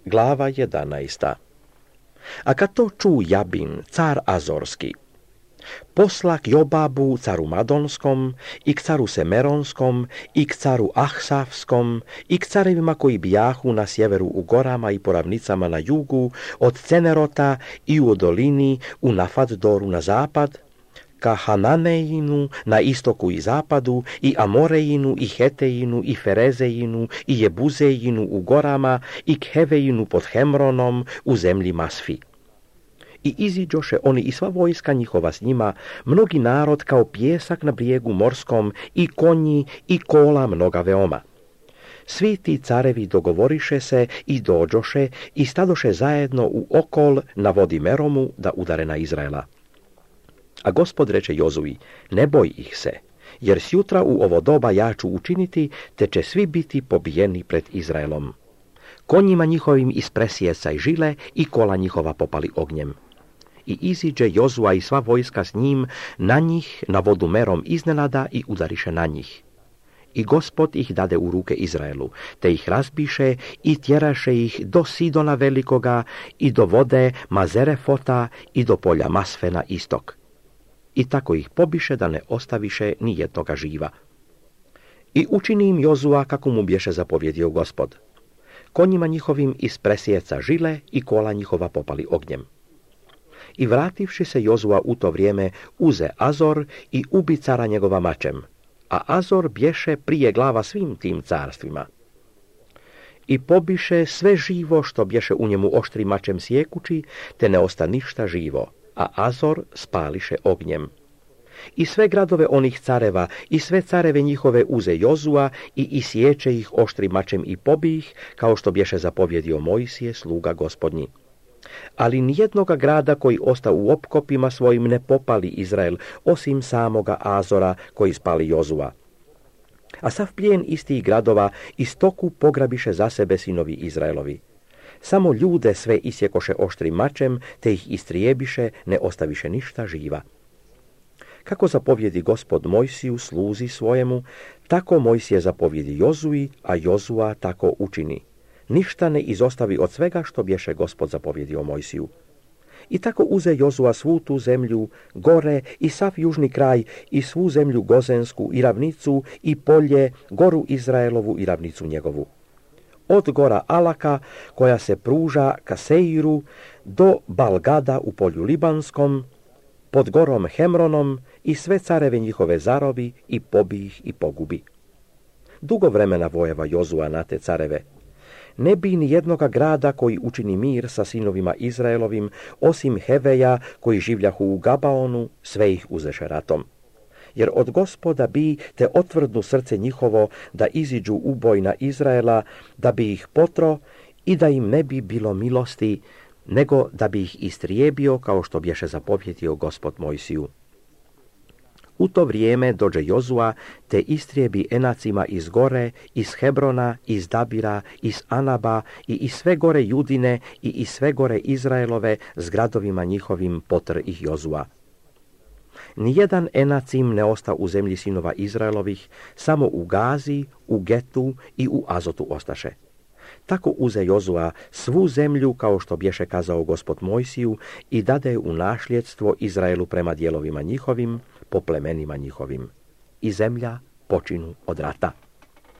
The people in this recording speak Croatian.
Glava 11. A kad to ču Jabin, car Azorski, posla k Jobabu, caru Madonskom, i k caru Semeronskom, i k caru Ahsavskom, i k carevima koji bijahu na sjeveru u gorama i po ravnicama na jugu, od Cenerota i u dolini, u Nafaddoru na zapad, ka Hananejinu na istoku i zapadu, i Amorejinu, i Hetejinu, i Ferezejinu, i Jebuzejinu u gorama, i k Hevejinu pod Hemronom u zemlji Masfi. I iziđoše oni i sva vojska njihova s njima, mnogi narod kao pjesak na brijegu morskom, i konji, i kola mnoga veoma. Svi ti carevi dogovoriše se i dođoše i stadoše zajedno u okol na vodi Meromu da udare na Izraela. A Gospod reče Jozui, ne boj ih se, jer sjutra u ovo doba ja ću učiniti, te će svi biti pobijeni pred Izraelom. Konjima njihovim ispresjecaj žile i kola njihova popali ognjem. I iziđe Jozua i sva vojska s njim na njih na vodu Merom iznenada i udariše na njih. I Gospod ih dade u ruke Izraelu, te ih razbiše i tjeraše ih do Sidona velikoga i do vode Mazerefota i do polja Masfe na istok. I tako ih pobiše da ne ostaviše ni jednoga živa. I učini im Jozua kako mu bješe zapovjedio Gospod. Konjima njihovim iz presjeca žile i kola njihova popali ognjem. I vrativši se Jozua u to vrijeme uze Azor i ubi cara njegova mačem, a Azor bješe prije glava svim tim carstvima. I pobiše sve živo što bješe u njemu oštrim mačem sjekući, te ne osta ništa živo, a Azor spališe ognjem. I sve gradove onih careva i sve careve njihove uze Jozua i isječe ih oštrim mačem i pobi ih, kao što bješe zapovjedio Mojsije, sluga Gospodnji. Ali nijednoga grada koji osta u opkopima svojim ne popali Izrael, osim samoga Azora koji spali Jozua. A sav plijen istih gradova i stoku pograbiše za sebe sinovi Izraelovi. Samo ljude sve isjekoše oštrim mačem, te ih istrijebiše, ne ostaviše ništa živa. Kako zapovjedi Gospod Mojsiju sluzi svojemu, tako Mojsije zapovjedi Jozui, a Jozua tako učini. Ništa ne izostavi od svega što bješe Gospod zapovjedio Mojsiju. I tako uze Jozua svu tu zemlju, gore i sav južni kraj i svu zemlju Gozensku i ravnicu i polje, goru Izraelovu i ravnicu njegovu. Od gora Alaka, koja se pruža ka Seiru, do Balgada u polju Libanskom, pod gorom Hemronom i sve careve njihove zarobi i pobi ih i pogubi. Dugo vremena vojeva Jozua na te careve. Ne bi ni jednoga grada koji učini mir sa sinovima Izraelovim, osim Heveja koji življahu u Gabaonu, sve ih uzeše ratom. Jer od Gospoda bi te otvrdnu srce njihovo da iziđu u boj na Izraela, da bi ih potro i da im ne bi bilo milosti, nego da bi ih istrijebio kao što bješe zapovjedio Gospod Mojsiju. U to vrijeme dođe Jozua te istrijebi Enacima iz gore, iz Hebrona, iz Dabira, iz Anaba i iz sve gore Judine i iz sve gore Izraelove s gradovima njihovim potr ih Jozua. Nijedan Enacim ne osta u zemlji sinova Izraelovih, samo u Gazi, u Getu i u Azotu ostaše. Tako uze Jozua svu zemlju kao što bješe kazao Gospod Mojsiju i dade u nasljedstvo Izraelu prema dijelovima njihovim, po plemenima njihovim. I zemlja počinu od rata.